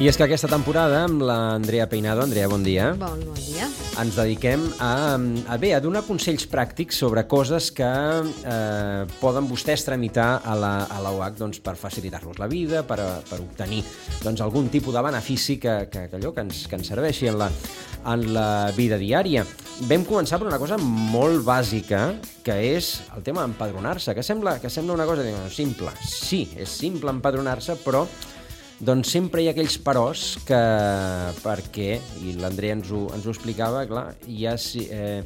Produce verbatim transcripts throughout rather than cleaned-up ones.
I és que aquesta temporada, amb l'Andrea Peinado, Andrea, bon dia, Bon, bon dia. ens dediquem a, a, bé, a donar consells pràctics sobre coses que eh, poden vostès tramitar a la, a la U H doncs, per facilitar-los la vida, per, per obtenir doncs, algun tipus de benefici que, que, que, allò, que, ens, que ens serveixi en la, en la vida diària. Vam començar per una cosa molt bàsica, que és el tema d'empadronar-se, que sembla, que sembla una cosa diguem, simple. Sí, és simple empadronar-se, però doncs sempre hi ha aquells peròs que, perquè, i l'Andrea ens, ho, ens ho explicava, clar, hi ha eh,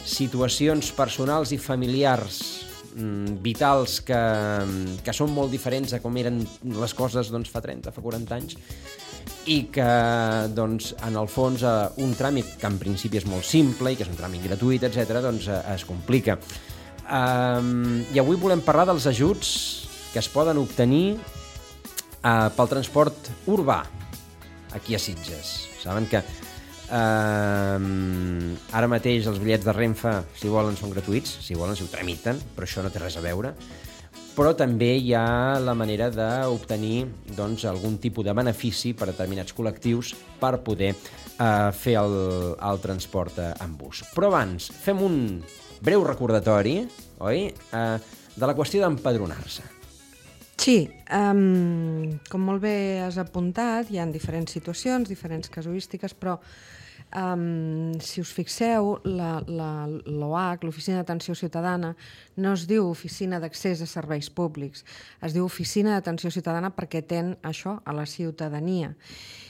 situacions personals i familiars mm, vitals que, que són molt diferents a com eren les coses doncs, fa trenta, fa quaranta anys, i que, doncs, en el fons, eh, un tràmit que en principi és molt simple i que és un tràmit gratuït, etcètera, doncs eh, es complica. Um, I avui volem parlar dels ajuts que es poden obtenir Uh, pel transport urbà aquí a Sitges. Saben que uh, ara mateix els bitllets de Renfe, si volen, són gratuïts, si volen, si ho tramiten, però això no té res a veure. Però també hi ha la manera d'obtenir doncs, algun tipus de benefici per a determinats col·lectius per poder uh, fer el, el transport uh, en bus. Però abans, fem un breu recordatori, oi?, uh, de la qüestió d'empadronar-se. Sí, um, com molt bé has apuntat, hi ha diferents situacions, diferents casuístiques, però um, si us fixeu, la, la, l'O H, l'Oficina d'Atenció Ciutadana, no es diu Oficina d'Accés a Serveis Públics, es diu Oficina d'Atenció Ciutadana perquè ten això a la ciutadania.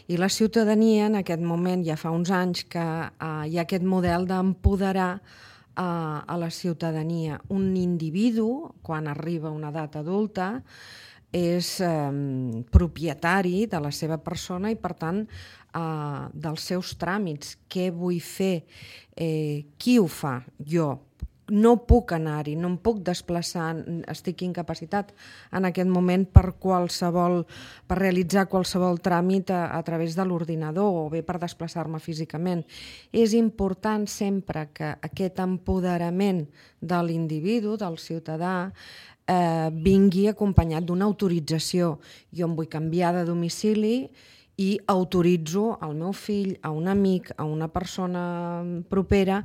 I la ciutadania, en aquest moment, ja fa uns anys que uh, hi ha aquest model d'empoderar a, a la ciutadania. Un individu, quan arriba a una edat adulta, és eh, propietari de la seva persona i, per tant, eh, dels seus tràmits. Què vull fer? Eh, qui ho fa? Jo. No puc anar-hi, no em puc desplaçar, estic incapacitat en aquest moment per qualsevol, per realitzar qualsevol tràmit a, a través de l'ordinador o bé per desplaçar-me físicament. És important sempre que aquest empoderament de l'individu, del ciutadà, eh, vingui acompanyat d'una autorització. Jo em vull canviar de domicili i autoritzo al meu fill, a un amic, a una persona propera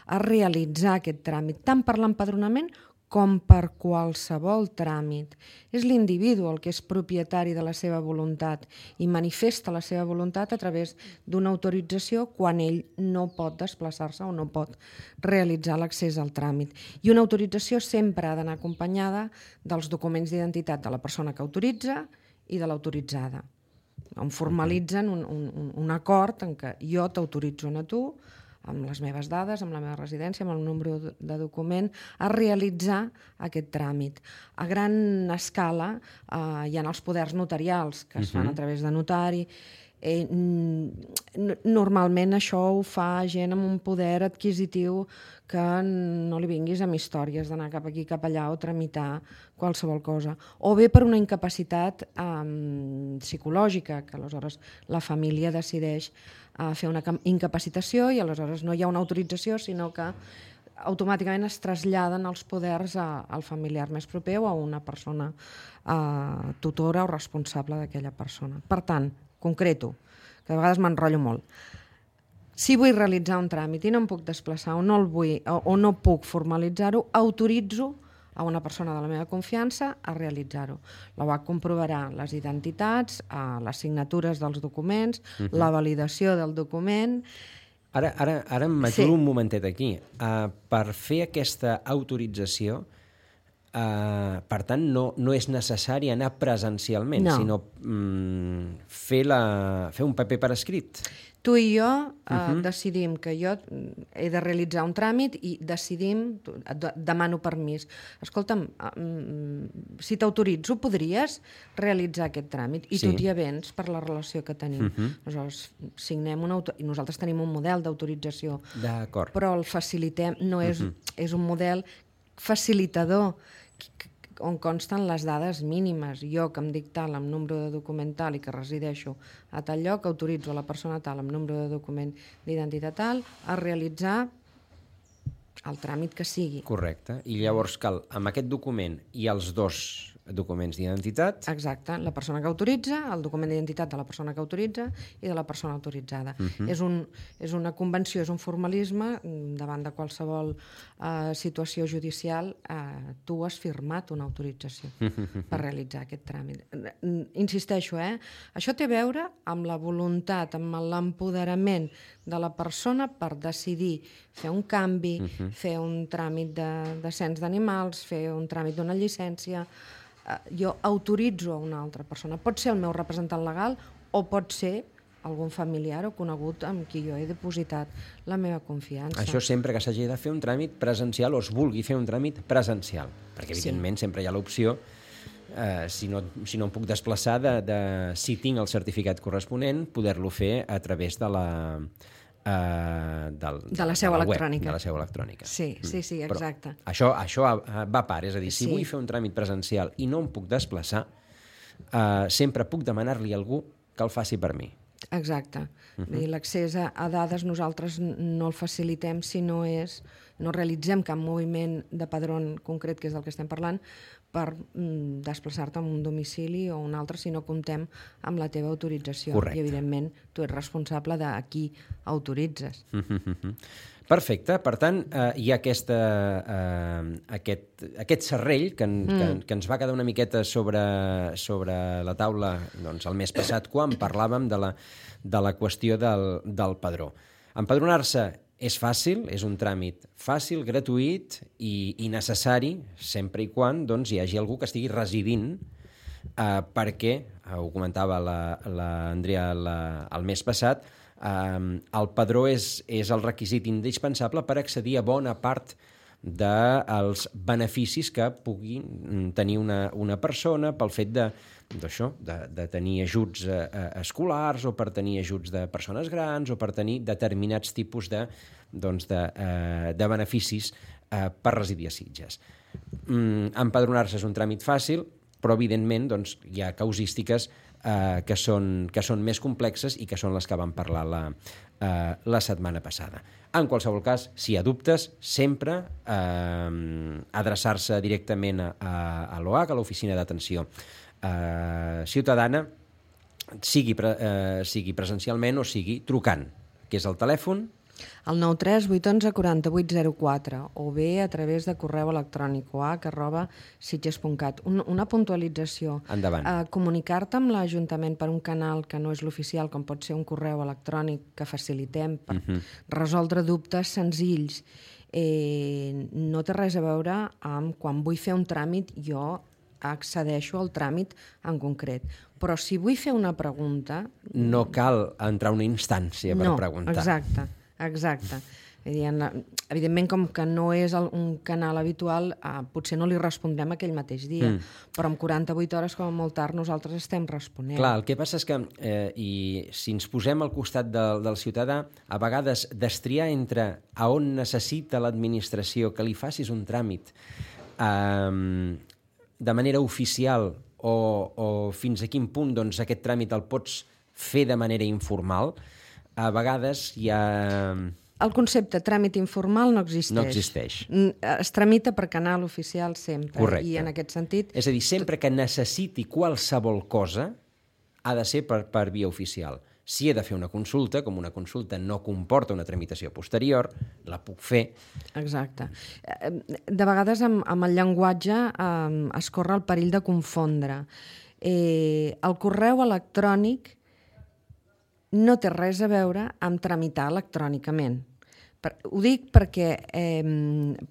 a realitzar aquest tràmit, tant per l'empadronament com per qualsevol tràmit. És l'individu el que és propietari de la seva voluntat i manifesta la seva voluntat a través d'una autorització quan ell no pot desplaçar-se o no pot realitzar l'accés al tràmit. I una autorització sempre ha d'anar acompanyada dels documents d'identitat de la persona que autoritza i de l'autoritzada. On formalitzen un, un, un acord en què jo t'autoritzo a tu, amb les meves dades, amb la meva residència, amb el número de document, a realitzar aquest tràmit. A gran escala eh, hi ha els poders notarials que es fan a través de notari. Eh, normalment això ho fa gent amb un poder adquisitiu que no li vinguis amb històries d'anar cap aquí, cap allà o tramitar qualsevol cosa. O bé per una incapacitat um, psicològica, que aleshores la família decideix uh, fer una incapacitació i aleshores no hi ha una autorització, sinó que automàticament es traslladen els poders a, al familiar més proper o a una persona uh, tutora o responsable d'aquella persona. Per tant, concreto, que de vegades m'enrotllo molt. Si vull realitzar un tràmit i no em puc desplaçar o no el vull o, o no puc formalitzar-ho, autoritzo a una persona de la meva confiança a realitzar-ho. La U H comprovarà les identitats, les signatures dels documents, uh-huh. la validació del document. Ara, ara, ara m'aturo sí. un momentet aquí. Uh, per fer aquesta autorització, Uh, per tant, no, no és necessari anar presencialment, no. sinó um, fer, la, fer un paper per escrit. Tu i jo uh, uh-huh. decidim que jo he de realitzar un tràmit i decidim, demano permís. Escolta'm, um, si t'autoritzo, podries realitzar aquest tràmit i sí. tu t'hi avens per la relació que tenim. Uh-huh. Aleshores, signem una auto... i nosaltres tenim un model d'autorització, D'acord. però el facilitem, no és, uh-huh. és un model facilitador on consten les dades mínimes. Jo, que em dic tal amb número de document tal i que resideixo a tal lloc, autoritzo a la persona tal amb número de document d'identitat tal a realitzar el tràmit que sigui. Correcte. I llavors cal, amb aquest document i els dos documents d'identitat. Exacte, la persona que autoritza, el document d'identitat de la persona que autoritza i de la persona autoritzada. Uh-huh. és, un, és una convenció, és un formalisme davant de qualsevol uh, situació judicial. Uh, tu has firmat una autorització uh-huh. per realitzar aquest tràmit. Insisteixo, eh? Això té a veure amb la voluntat, amb l'empoderament de la persona per decidir fer un canvi, uh-huh. fer un tràmit de, de cens d'animals, fer un tràmit d'una llicència. Jo autoritzo a una altra persona. Pot ser el meu representant legal o pot ser algun familiar o conegut amb qui jo he depositat la meva confiança. Això sempre que s'hagi de fer un tràmit presencial o es vulgui fer un tràmit presencial, perquè evidentment sí. sempre hi ha l'opció, eh, si, no, si no em puc desplaçar, de, de, si tinc el certificat corresponent, poder-lo fer a través de la... Uh, del, de la seu de la electrònica. Web, de la seu electrònica. Sí, sí, sí, exacte. Però això, això va a part, és a dir, si sí. vull fer un tràmit presencial i no em puc desplaçar, uh, sempre puc demanar-li a algú que el faci per mi. Exacte. Uh-huh. I l'accés a, a dades nosaltres no el facilitem si no és, no realitzem cap moviment de padrón concret, que és del que estem parlant, per mm, desplaçar-te a un domicili o un altre si no comptem amb la teva autorització. Correcte. I, evidentment, tu ets responsable de a qui autoritzes. Uh-huh. Perfecte. Per tant, eh, hi ha aquesta, eh, aquest, aquest serrell que, en, mm. que, que ens va quedar una miqueta sobre, sobre la taula doncs, el mes passat quan parlàvem de la, de la qüestió del, del padró. Empadronar-se és fàcil, és un tràmit fàcil, gratuït i, i necessari, sempre i quan doncs, hi hagi algú que estigui residint, eh, perquè, eh, ho comentava l'Andrea la, la, el mes passat, eh, el padró és, és el requisit indispensable per accedir a bona part dels beneficis que pugui tenir una, una persona pel fet de, d'això, de, de tenir ajuts eh, escolars o per tenir ajuts de persones grans o per tenir determinats tipus de, doncs de, eh, de beneficis eh, per residir a Sitges. Mm, empadronar-se és un tràmit fàcil, però evidentment doncs, hi ha causístiques eh, que, són, que són més complexes i que són les que vam parlar la, eh, la setmana passada. En qualsevol cas, si hi ha dubtes, sempre eh, adreçar-se directament a, a, a l'O H, a l'Oficina d'Atenció eh, Ciutadana, sigui, pre, eh, sigui presencialment o sigui trucant, que és el telèfon el nou tres vuit onze quaranta vuit zero quatre o bé a través de correu electrònic o h arroba sitges punt cat. Un, una puntualització. Endavant. Eh, comunicar-te amb l'Ajuntament per un canal que no és l'oficial, com pot ser un correu electrònic que facilitem per uh-huh. resoldre dubtes senzills, eh, no té res a veure amb quan vull fer un tràmit jo accedeixo al tràmit en concret. Però si vull fer una pregunta... No cal entrar a una instància per no, preguntar. Exacte. Exacte. Evidentment, com que no és un canal habitual, eh, potser no li respondrem aquell mateix dia, mm. però en quaranta-vuit hores, com a molt tard, nosaltres estem responent. Clar, el que passa és que, eh, i si ens posem al costat del, del ciutadà, a vegades destriar entre a on necessita l'administració que li facis un tràmit eh, de manera oficial o, o fins a quin punt doncs, aquest tràmit el pots fer de manera informal, a vegades hi ha... El concepte tràmit informal no existeix. No existeix. Es tramita per canal oficial sempre. Correcte. I en aquest sentit... És a dir, sempre que necessiti qualsevol cosa ha de ser per, per via oficial. Si he de fer una consulta, com una consulta no comporta una tramitació posterior, la puc fer. Exacte. De vegades amb, amb el llenguatge eh, es corre el perill de confondre. Eh, el correu electrònic no té res a veure amb tramitar electrònicament. Per, ho dic perquè eh,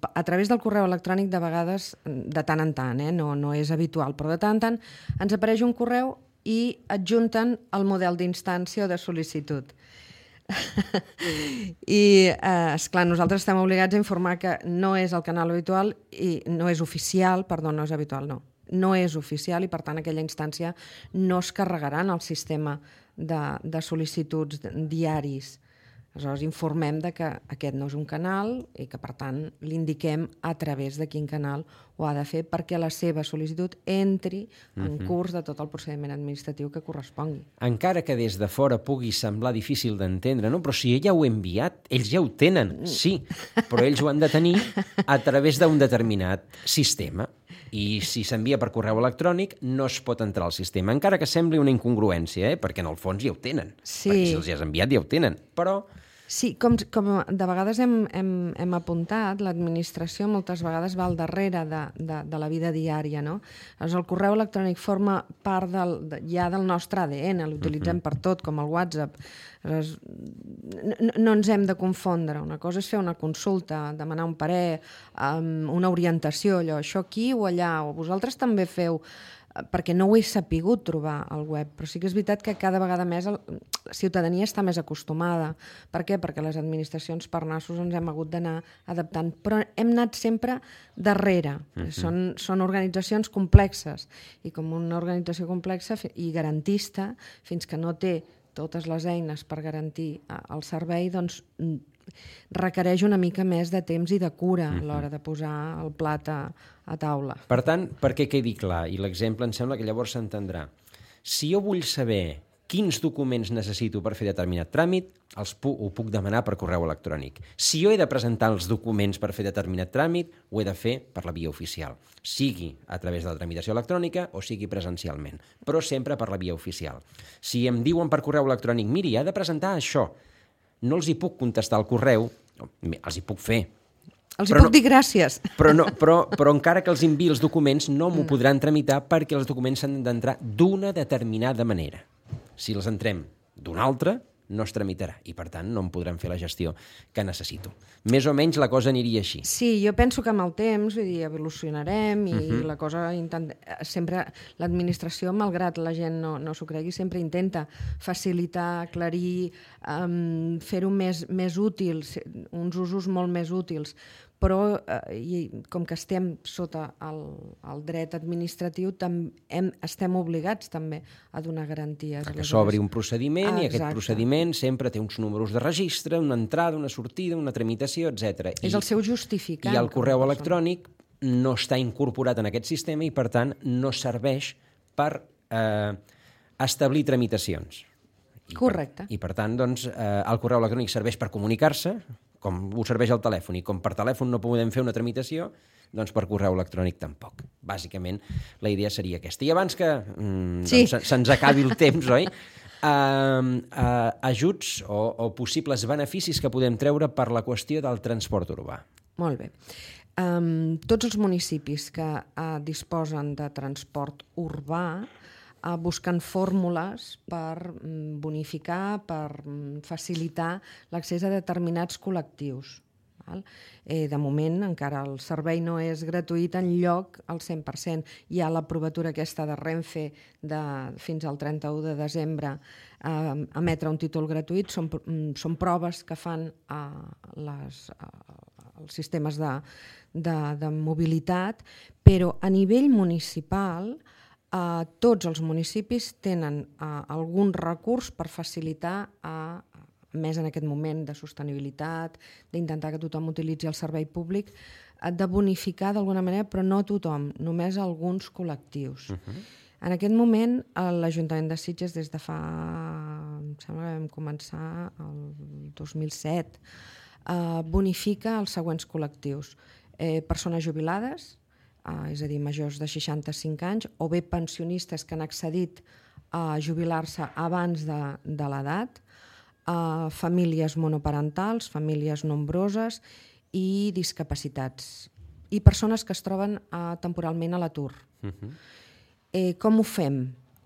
a través del correu electrònic de vegades, de tant en tant, eh, no, no és habitual, però de tant en tant ens apareix un correu i adjunten el model d'instància o de sol·licitud. I, eh, esclar, nosaltres estem obligats a informar que no és el canal habitual i no és oficial, perdó, no és habitual, no. No és oficial i, per tant, aquella instància no es carregarà en el sistema de, de sol·licituds diaris. Aleshores, informem de que aquest no és un canal i que, per tant, l'indiquem a través de quin canal ho ha de fer perquè la seva sol·licitud entri en curs de tot el procediment administratiu que correspongui. Encara que des de fora pugui semblar difícil d'entendre, no? Però si ella ho ha enviat, ells ja ho tenen, sí, però ells ho han de tenir a través d'un determinat sistema. I si s'envia per correu electrònic no es pot entrar al sistema, encara que sembli una incongruència, eh? Perquè en el fons ja ho tenen. Sí. Perquè si els has enviat ja ho tenen, però... Sí, com, com de vegades hem, hem, hem apuntat, l'administració moltes vegades va al darrere de, de, de la vida diària, no? Doncs el correu electrònic forma part del, de, ja del nostre A D N, l'utilitzem uh-huh. per tot, com el WhatsApp. Aleshores, no, no ens hem de confondre. Una cosa és fer una consulta, demanar un parer, um, una orientació, allò, això aquí o allà, o vosaltres també feu... perquè no ho he sapigut trobar al web, però sí que és veritat que cada vegada més el, la ciutadania està més acostumada. Per què? Perquè les administracions per nassos ens hem hagut d'anar adaptant, però hem anat sempre darrere. Uh-huh. Són, són organitzacions complexes, i com una organització complexa i garantista, fins que no té totes les eines per garantir el servei, doncs requereix una mica més de temps i de cura a l'hora de posar el plat a, a taula. Per tant, perquè quedi clar, i l'exemple em sembla que llavors s'entendrà, si jo vull saber quins documents necessito per fer determinat tràmit, els pu- ho puc demanar per correu electrònic. Si jo he de presentar els documents per fer determinat tràmit, ho he de fer per la via oficial, sigui a través de la tramitació electrònica o sigui presencialment, però sempre per la via oficial. Si em diuen per correu electrònic, miri, ha de presentar això, no els hi puc contestar al correu, els hi puc fer. Els hi puc no, dir gràcies. Però, no, però, però encara que els enviï els documents no m'ho podran tramitar perquè els documents s'han d'entrar d'una determinada manera. Si els entrem d'una altra, no es tramitarà i, per tant, no em podran fer la gestió que necessito. Més o menys la cosa aniria així. Sí, jo penso que amb el temps, vull dir, evolucionarem i uh-huh. la cosa intent... sempre l'administració, malgrat la gent no, no s'ho cregui, sempre intenta facilitar, aclarir, um, fer-ho més, més útil, uns usos molt més útils. Però eh, i, com que estem sota el, el dret administratiu, tam, hem, estem obligats també a donar garanties. Que s'obri un procediment ah, i aquest procediment sempre té uns números de registre, una entrada, una sortida, una tramitació, etcètera. És I, el seu justificant. I el correu electrònic no està incorporat en aquest sistema i, per tant, no serveix per eh, establir tramitacions. I Correcte. Per, I, per tant, doncs, eh, el correu electrònic serveix per comunicar-se, com ho serveix el telèfon, i com per telèfon no podem fer una tramitació, doncs per correu electrònic tampoc. Bàsicament, la idea seria aquesta. I abans que mm, sí. doncs, se'ns acabi el temps, oi? Uh, uh, ajuts o, o possibles beneficis que podem treure per la qüestió del transport urbà. Molt bé. Um, tots els municipis que uh, disposen de transport urbà uh, busquen fórmules per um, bonificar, per um, facilitar l'accés a determinats col·lectius. Val? Eh, de moment encara el servei no és gratuït en lloc al cent per cent. Hi ha l'aprovatura aquesta de Renfe de, fins al trenta-u de desembre eh, emetre un títol gratuït. Són, són proves que fan eh, les, eh, els sistemes de, de, de mobilitat, però a nivell municipal eh, tots els municipis tenen eh, algun recurs per facilitar a més en aquest moment de sostenibilitat, d'intentar que tothom utilitzi el servei públic, de bonificar d'alguna manera, però no tothom, només alguns col·lectius. Uh-huh. En aquest moment, l'Ajuntament de Sitges, des de fa... em sembla que vam començar el dos mil set, eh, bonifica els següents col·lectius. Eh, persones jubilades, eh, és a dir, majors de seixanta-cinc anys, o bé pensionistes que han accedit a jubilar-se abans de, de l'edat, Uh, famílies monoparentals, famílies nombroses i discapacitats. I persones que es troben uh, temporalment a l'atur. Uh-huh. Eh, com ho fem?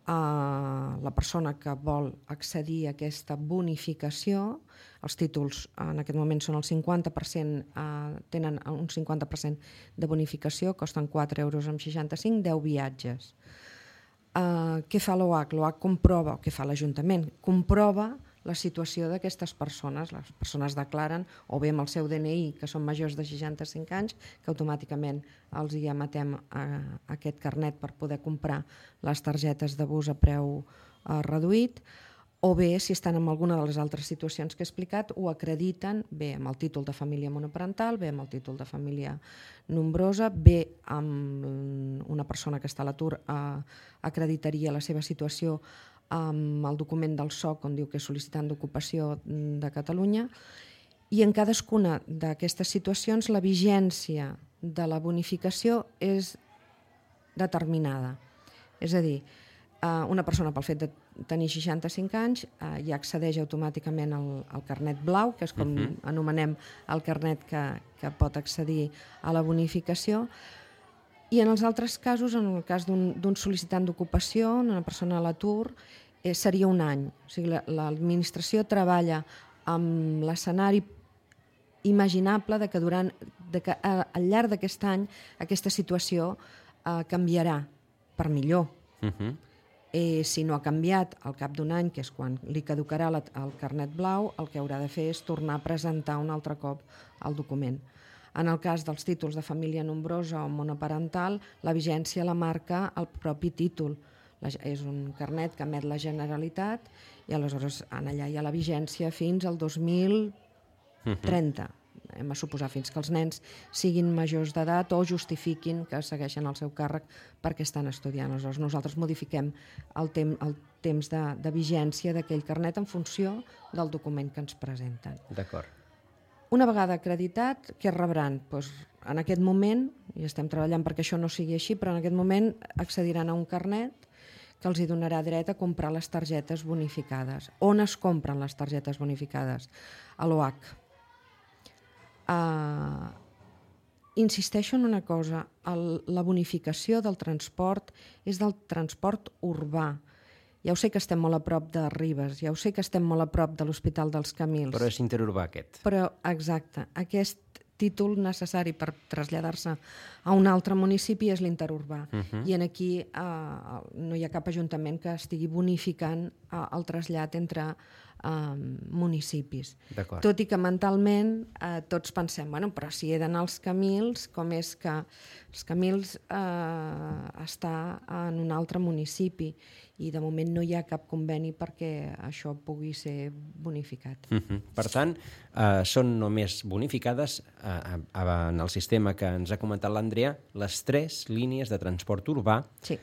Uh, la persona que vol accedir a aquesta bonificació, els títols en aquest moment són el cinquanta per cent, uh, tenen un cinquanta per cent de bonificació, costen quatre euros amb seixanta-cinc, deu viatges. Uh, què fa l'O H? L'O H comprova, o què fa l'Ajuntament? Comprova la situació d'aquestes persones. Les persones declaren, o bé amb el seu D N I, que són majors de seixanta-cinc anys, que automàticament els hi emetem eh, aquest carnet per poder comprar les targetes de bus a preu eh, reduït, o bé, si estan en alguna de les altres situacions que he explicat, ho acrediten bé amb el títol de família monoparental, bé amb el títol de família nombrosa, bé amb una persona que està a l'atur eh, acreditaria la seva situació amb el document del S O C on diu que és sol·licitant d'ocupació de Catalunya, i en cadascuna d'aquestes situacions la vigència de la bonificació és determinada. És a dir, una persona pel fet de tenir seixanta-cinc anys ja accedeix automàticament al, al carnet blau, que és com uh-huh. anomenem el carnet que, que pot accedir a la bonificació, i en els altres casos, en el cas d'un sol·licitant d'ocupació, una persona a l'atur, eh, seria un any. O sigui, l'administració treballa amb l'escenari imaginable de que, durant, de que al llarg d'aquest any aquesta situació eh, canviarà per millor. Uh-huh. Eh, si no ha canviat al cap d'un any, que és quan li caducarà la, el carnet blau, el que haurà de fer és tornar a presentar un altre cop el document. En el cas dels títols de família nombrosa o monoparental, la vigència la marca el propi títol. La, és un carnet que emet la Generalitat i aleshores en allà hi ha la vigència fins al dos mil trenta. Uh-huh. Hem a suposar fins que els nens siguin majors d'edat o justifiquin que segueixen el seu càrrec perquè estan estudiant. Aleshores, nosaltres modifiquem el, tem el temps de, de vigència d'aquell carnet en funció del document que ens presenten. D'acord. Una vegada acreditat, què rebran? Pues, en aquest moment, i estem treballant perquè això no sigui així, però en aquest moment accediran a un carnet que els hi donarà dret a comprar les targetes bonificades. On es compren les targetes bonificades? A l'O H. Uh, insisteixo en una cosa, el, la bonificació del transport és del transport urbà. Ja ho sé que estem molt a prop de Ribes, ja ho sé que estem molt a prop de l'Hospital dels Camils. Però és interurbà aquest. Però, exacte, aquest títol necessari per traslladar-se a un altre municipi és l'interurbà. Uh-huh. I en aquí uh, no hi ha cap ajuntament que estigui bonificant uh, el trasllat entre Uh, municipis. Tot i que mentalment uh, tots pensem, bueno, però si he d'anar als Camils, com és que els Camils uh, està en un altre municipi i de moment no hi ha cap conveni perquè això pugui ser bonificat. Uh-huh. Per tant, uh, són només bonificades uh, uh, en el sistema que ens ha comentat l'Andrea les tres línies de transport urbà sí.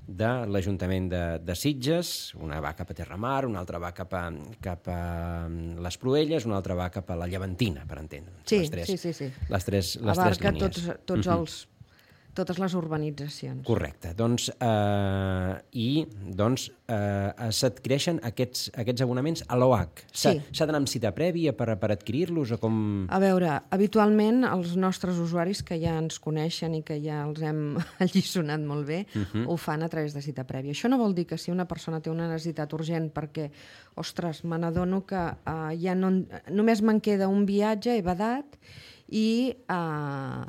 de l'Ajuntament de, de Sitges. Una va cap a Terramar, una altra va cap a, cap a les Proelles, una altra va cap a la Llevantina, per entendre. Sí, les tres, sí, sí, sí. Les tres, les abarca tres línies. Tots, tots uh-huh. els, totes les urbanitzacions. Correcte. Doncs, eh, I doncs, eh, s'adquireixen aquests, aquests abonaments a l'O H. S'ha sí. d'anar amb cita prèvia per, per adquirir-los o com... A veure, habitualment els nostres usuaris que ja ens coneixen i que ja els hem alliçonat molt bé, uh-huh. ho fan a través de cita prèvia. Això no vol dir que si una persona té una necessitat urgent perquè, ostres, me n'adono que uh, ja no, només me'n queda un viatge, he badat, i... Uh,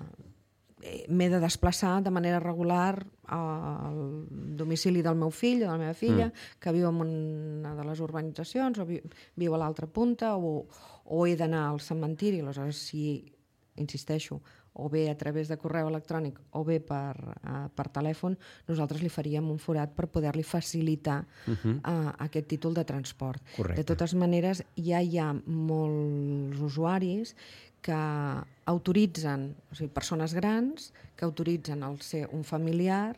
m'he de desplaçar de manera regular al domicili del meu fill o de la meva filla, mm. que viu en una de les urbanitzacions o vi, viu a l'altra punta, o, o he d'anar al cementiri. Aleshores, si, insisteixo, o bé a través de correu electrònic o bé per, uh, per telèfon, nosaltres li faríem un forat per poder-li facilitar uh-huh. uh, aquest títol de transport. Correcte. De totes maneres, ja hi ha molts usuaris que autoritzen, o sigui, persones grans, que autoritzen el ser un familiar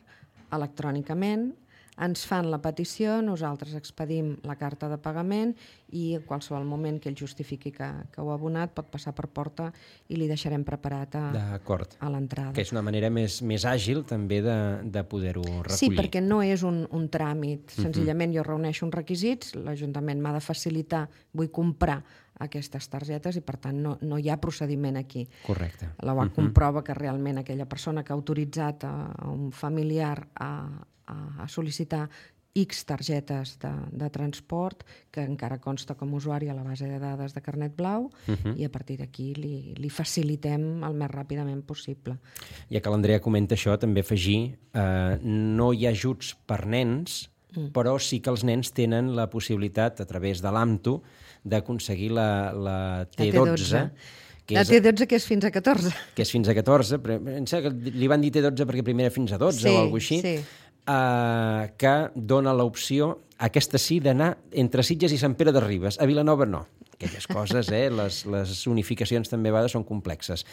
electrònicament, ens fan la petició, nosaltres expedim la carta de pagament i en qualsevol moment que ell justifiqui que, que ho ha abonat pot passar per porta i li deixarem preparat a, a l'entrada. Que és una manera més, més àgil també de, de poder-ho recollir. Sí, perquè no és un, un tràmit. Senzillament uh-huh. jo reuneixo uns requisits, l'Ajuntament m'ha de facilitar, vull comprar aquestes targetes i per tant no, no hi ha procediment aquí. Correcte. La U A C uh-huh. comprova que realment aquella persona que ha autoritzat a, a un familiar a a sol·licitar X targetes de, de transport, que encara consta com a usuari a la base de dades de carnet blau, uh-huh. i a partir d'aquí li, li facilitem el més ràpidament possible. Ja que l'Andrea comenta això, també afegir, eh, no hi ha ajuts per nens, mm. però sí que els nens tenen la possibilitat, a través de l'AMTU, d'aconseguir la, la T dotze, la T dotze, que és fins a catorze. Que és fins a catorze, però em sembla que li van dir T dotze perquè primer era fins a dotze sí, o alguna cosa així. Sí. eh, que dona l'opció, aquesta sí, d'anar entre Sitges i Sant Pere de Ribes. A Vilanova no. Aquelles coses, eh? Les, les unificacions també a vegades són complexes.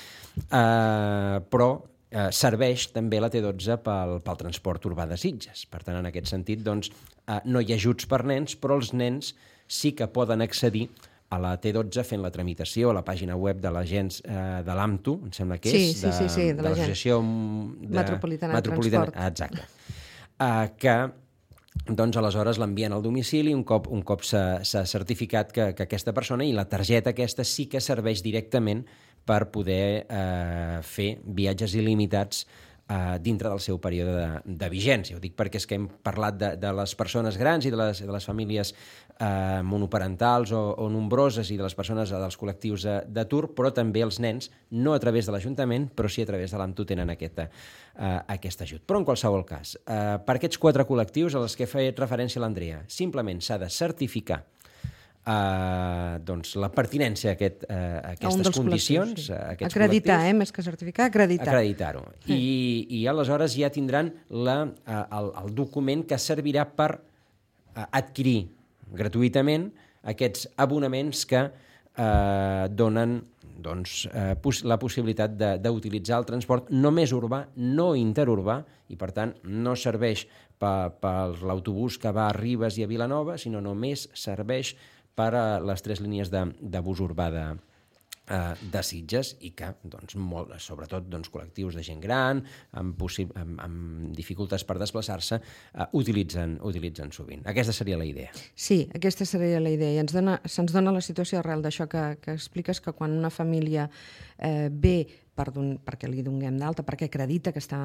Eh, però eh, serveix també la T dotze pel, pel transport urbà de Sitges. Per tant, en aquest sentit, doncs, eh, no hi ha ajuts per nens, però els nens sí que poden accedir a la T dotze fent la tramitació a la pàgina web de l'agents eh, de l'AMTU, em sembla que és, sí, sí, sí, sí, de, de l'Associació de... Metropolitana de Transport. Exacte. Eh, que doncs aleshores l'envien al domicili un cop, un cop s'ha certificat que, que aquesta persona, i la targeta aquesta sí que serveix directament per poder eh, fer viatges il·limitats eh, dintre del seu període de, de vigència. Ho dic perquè és que hem parlat de, de les persones grans i de les, de les famílies eh, monoparentals o, o nombroses i de les persones dels col·lectius d'atur, però també els nens, no a través de l'Ajuntament, però sí a través de l'AMTU tenen aquesta, eh, aquest ajut. Però en qualsevol cas, eh, per aquests quatre col·lectius als que ha fet referència l'Andrea, simplement s'ha de certificar Uh, doncs la pertinència a, aquest, uh, a aquestes condicions, sí. a aquests acreditar, col·lectius. Eh? Més que certificar, acreditar. Acreditar-ho. Sí. I, I aleshores ja tindran la, uh, el, el document que servirà per uh, adquirir gratuïtament aquests abonaments que uh, donen doncs, uh, pos la possibilitat d'utilitzar el transport només urbà, no interurbà, i per tant no serveix per, per l'autobús que va a Ribes i a Vilanova, sinó només serveix per a les tres línies de, de bus urbà de, uh, de Sitges, i que, doncs, molt, sobretot doncs, col·lectius de gent gran, amb, amb, amb dificultats per desplaçar-se, uh, utilitzen, utilitzen sovint. Aquesta seria la idea. Sí, aquesta seria la idea. I ens dona, se'ns dona la situació arrel d'això que, que expliques, que quan una família eh, ve per don, perquè li donem d'alta, perquè acredita que, està,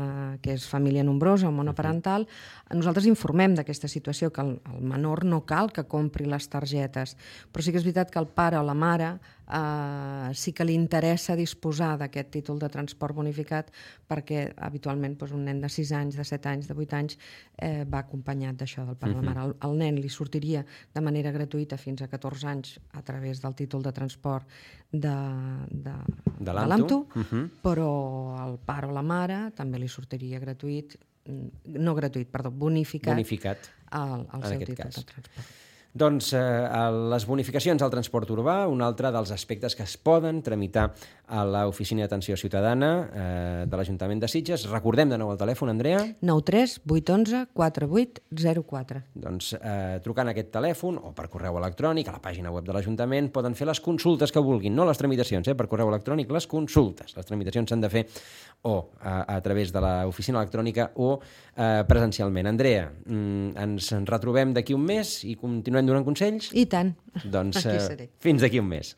que és família nombrosa o monoparental, uh-huh. nosaltres informem d'aquesta situació, que el, el menor no cal que compri les targetes, però sí que és veritat que el pare o la mare eh, sí que li interessa disposar d'aquest títol de transport bonificat, perquè habitualment doncs, un nen de sis anys, de set anys, de vuit anys eh, va acompanyat d'això del pare o uh-huh. la mare. El, el nen li sortiria de manera gratuïta fins a catorze anys a través del títol de transport de, de, de l'AMTU, uh-huh. però el pare o la mare també li sortiria gratuït, no gratuït, perdó, bonificat, bonificat el, el seu títol cas. de transport. Doncs eh, les bonificacions al transport urbà, un altre dels aspectes que es poden tramitar a l'Oficina d'Atenció Ciutadana eh, de l'Ajuntament de Sitges. Recordem de nou el telèfon, Andrea. nou tres vuit onze quatre vuit zero quatre. Doncs eh, trucant a aquest telèfon o per correu electrònic a la pàgina web de l'Ajuntament poden fer les consultes que vulguin, no les tramitacions, eh, per correu electrònic, les consultes. Les tramitacions s'han de fer o a, a través de l'oficina electrònica o eh, presencialment. Andrea, mm, ens retrobem d'aquí un mes i continuem donant consells? I tant. Doncs eh, fins d'aquí un mes.